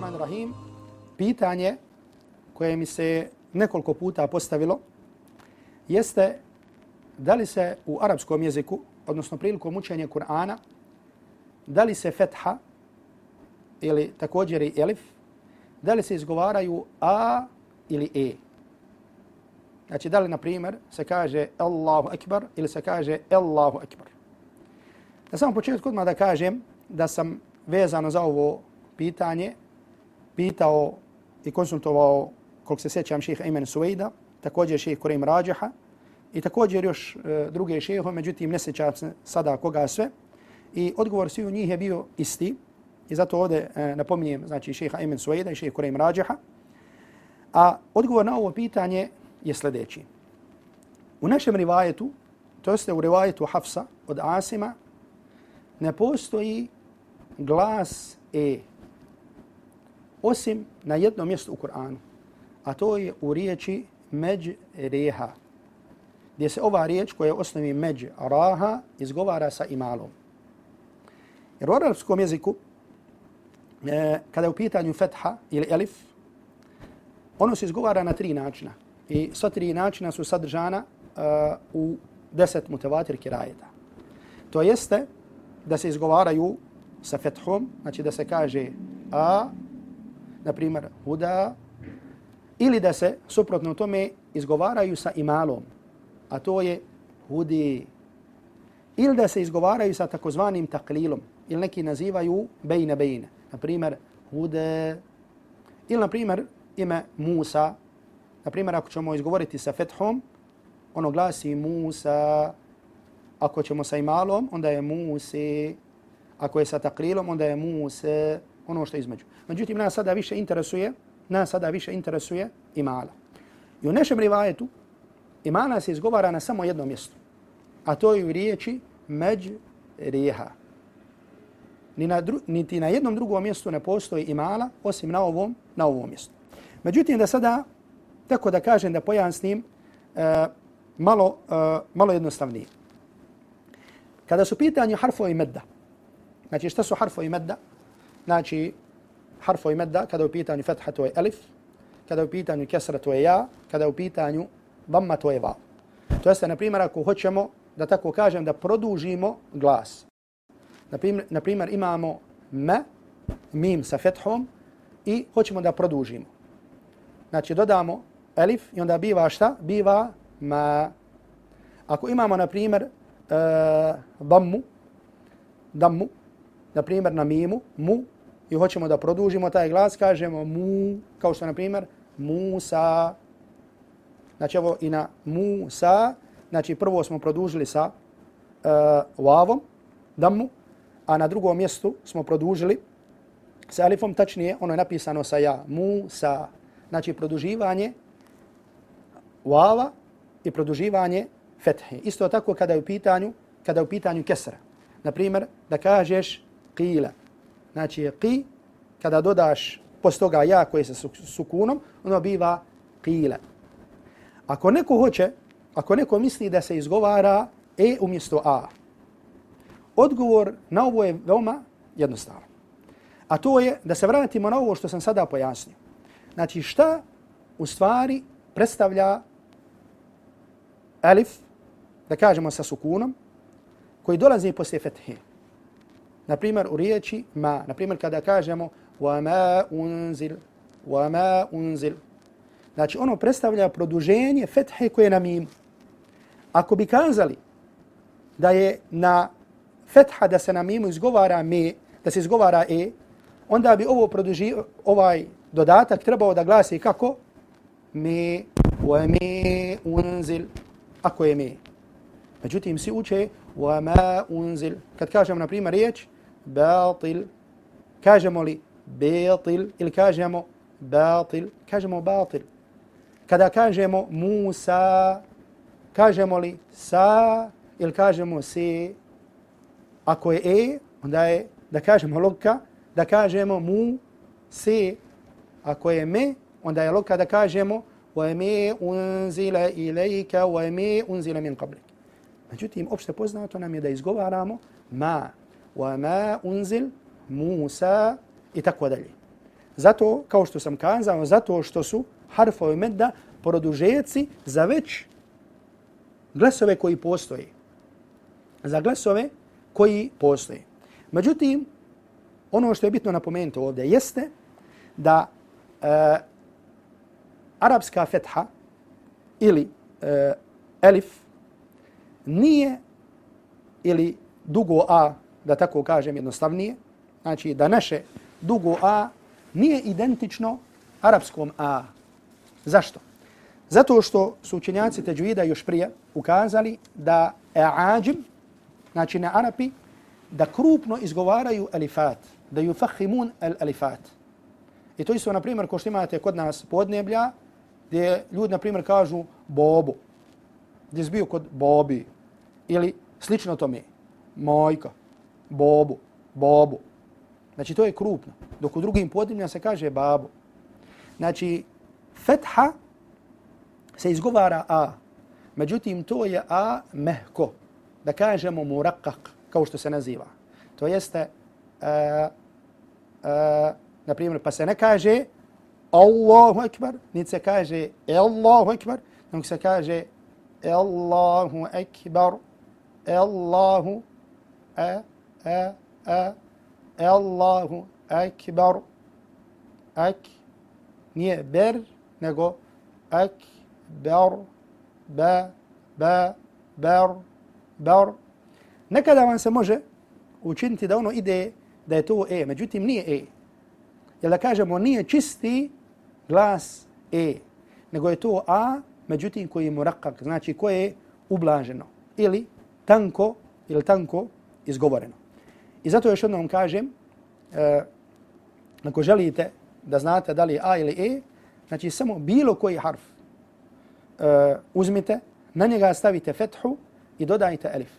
Bismillahirrahmanirrahim. Pitanje koje mi se nekoliko puta postavilo jeste da li se u arapskom jeziku, odnosno prilikom učenja Kur'ana, da li se fetha ili također i elif, da li se izgovaraju a ili e. Znači, da li, na primjer, se kaže Allahu Akbar ili se kaže Allahu Akbar. Na samom početku odmah da kažem da sam vezano za ovo pitanje pitao i konsultovao, koliko se sjećam, šeha Ayman Suwaida, također šeha Kurejm Rađiha i također još druge šehe, međutim ne sjećam se sada koga sve. I odgovor svih njih je bio isti. I zato ovdje napominjem, znači, šeha Ayman Suwaida i šeha Kurejm Rađiha. A odgovor na ovo pitanje je sljedeći. U našem rivajetu, to jeste u rivajetu Hafsa od Asima, ne postoji glas e, osim na jednom mjestu u Kur'anu, a to je u riječi međreha, gdje se ova riječ koja je u osnovi međraha izgovara sa imalom. Jer u arapskom jeziku, kada je u pitanju fetha ili elif, ono se izgovara na 3 načina. I sva 3 načina su sadržana u 10 mutavatir kirajeta. To jeste da se izgovaraju sa fethom, znači da se kaže a, na primjer huda, ili da se suprotno tome izgovaraju sa imalom, a to je hudi, ili da se izgovaraju sa takozvanim taklilom, ili neki nazivaju bejne bejne, na primjer hude, ili na primjer ime Musa. Na primjer, ako ćemo izgovoriti sa fethom, ono glasi Musa. Ako ćemo sa imalom, onda je Muse. Ako je sa taklilom, onda je Muse. Ono što je između. Međutim, nas sada više interesuje imala. I u našem rivajetu imala se izgovara na samo jednom mjestu. A to je u riječi međreha. Niti na jednom drugom mjestu ne postoji imala, osim na ovom mjestu. Međutim, da sada, tako da kažem, da pojasnim malo jednostavnije. Kada su pitanju harfovi medda, znači šta su harfovi medda? Znači, harfovi medda, kada je u pitanju fetha, to je elif, kada je u pitanju kesra, to je ja, kada je u pitanju dhamma, to je vav. To jeste, na primjer, ako hoćemo, da tako kažem, da produžimo glas. Na primjer, imamo me, mim sa fethom i hoćemo da produžimo. Znači, dodamo elif i onda biva šta? Biva ma. Ako imamo, na primjer, dammu, na primjer, na mimu, mu, i hoćemo da produžimo taj glas, kažemo mu, kao što, na primjer, Musa. Znači, evo i na Musa, znači, prvo smo produžili sa vavom, dammu, a na drugom mjestu smo produžili sa elifom, tačnije, ono je napisano sa ja, Musa. Znači, produživanje vava i produživanje fethe. Isto tako kada je u pitanju kesra. Na primjer, da kažeš qila. Znači, qi, kada dodaš poslije toga ja koji je sa sukunom, ono biva qila. Ako neko misli da se izgovara e umjesto a, odgovor na ovo je veoma jednostavan. A to je da se vratimo na ovo što sam sada pojasnio. Znači, šta u stvari predstavlja elif, da kažemo sa sukunom, koji dolazi poslije fethe. Na primjer, u riječi ma. Na primjer, kada kažemo وَمَا أُنزِلْ. Znači, ono predstavlja produženje fethe koje je na mimu. Ako bi kazali da je na fetha da se na mimu izgovara me, da se izgovara e, onda bi ovaj dodatak trebao da glasi kako? Me, وَمَا أُنزِلْ. Ako je me. Međutim, svi uče وَمَا أُنزِلْ. Kad kažemo, na primjer, riječ batil, kažemo li batil ili kažemo batil? Kažemo batil. Kada kažemo Musa, kažemo li sa ili kažemo se? Ako je e, onda je da kažemo logika, da kažemo mu se. Ako je me, onda je logika da kažemo وَمَا أُنزِلَ إِلَيْكَ وَمَا أُنزِلَ مِنْ قَبْلِكَ. Međutim, opšte poznato nam je da izgovaramo ma, وَمَا أُنزِلْ Musa i tako dalje. Zato, kao što sam kazao, zato što su harfovi medda produžeci za već glasove koji postoje. Za glasove koji postoje. Međutim, ono što je bitno napomenuti ovdje jeste da arapska fetha ili elif nije, ili dugo a, da tako kažem jednostavnije, znači da naše dugo a nije identično arapskom a. Zašto? Zato što su učenjaci teđvida još prije ukazali da ađim, znači na Arapi, da krupno izgovaraju alifat, da yufahimun alifat. I to isto, na primjer, ko što imate kod nas podneblja, gdje ljudi, na primjer, kažu bobo, gdje je bio kod bobi, ili slično tome, mojka, bobu, bobu. Znači, to je krupno. Dok u drugim podnebljama se kaže babu. Znači, fetha se izgovara a. Međutim, to je a mehko. Da kažemo murakak, kao što se naziva. To jeste, na primjer, pa se ne kaže Allahu ekber, niti se kaže Allahu ekber, nego se kaže Allahu ekber, Allahu Allahu ekber, nije ber, nego ekber, ber. Nekada vam se može učiniti da ono ide, da je to e, međutim nije e. Jer da kažemo nije čisti glas e, nego je to a, međutim koji je murakak, znači koje je ublaženo ili tanko izgovoreno. I zato još jednom kažem, ako želite da znate da li je a ili e, znači samo bilo koji harf uzmite, na njega stavite fethu i dodajte elif.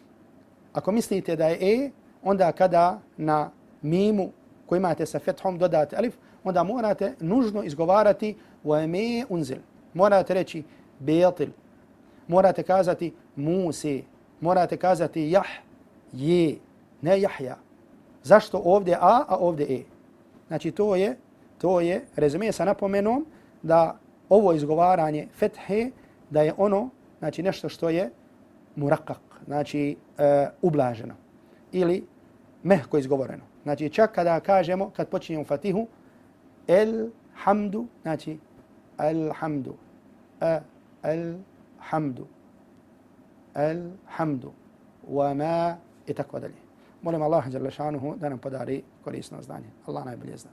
Ako mislite da je e, onda kada na mimu koji imate sa fethom dodate elif, onda morate nužno izgovarati وَمَا unzil. Morate reći betil. Morate kazati Musi. Morate kazati je, ne Jahja. Zašto ovdje a ovdje e? Znači to je rezime sa napomenom da ovo izgovaranje fethe, da je ono, znači nešto što je murakak, znači ublaženo ili mehko izgovoreno. Znači čak kada kažemo, kad počinjemo fatihu, elhamdu, znači alhamdu, alhamdu, wa ma i tako dalje. Molim Allah dželle šanuhu da nam podari korisno znanje. Allah najbolje zna.